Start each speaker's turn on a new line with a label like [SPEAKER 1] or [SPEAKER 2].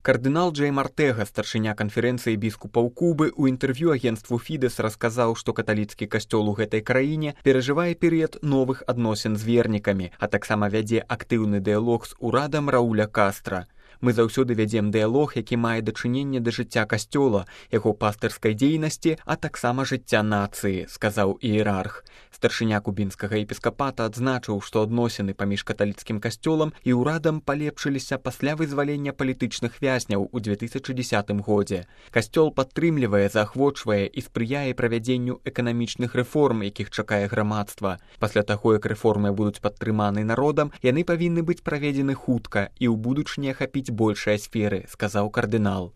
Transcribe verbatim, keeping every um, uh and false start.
[SPEAKER 1] Кардынал Джейм Артэга, старшыня канферэнцыі біскупаў Кубы, у інтэрв'ю агенцтву Фідэс расказаў, што каталіцкі касцёл у гэтай краіне перажывае перыяд новых адносін з вернікамі, а таксама вядзе актыўны дыялог з урадам Рауля Кастра. Мы заўсёды вядзем дыялог, які мае дачыненне да жыцця касцёла, яго пастырскай дзейнасці, а таксама жыцця нацыі, сказаў іерарх. Старшыня кубінскага епіскапата адзначыў, што адносіны паміж каталіцкім касцёлам і ўрадам палепшыліся пасля вызвалення палітычных вязняў у две тысячы дзесятым годзе. Касцёл падтрымлівае, заахвочвае і спрыяе правядзенню эканамічных рэформ, якіх чакае грамадства. Пасля таго, як рэформы будуць падтрыманы народам, яны павінны быць праведзены хутка і ў будучыні ахапіць большыя сферы, сказаў кардынал.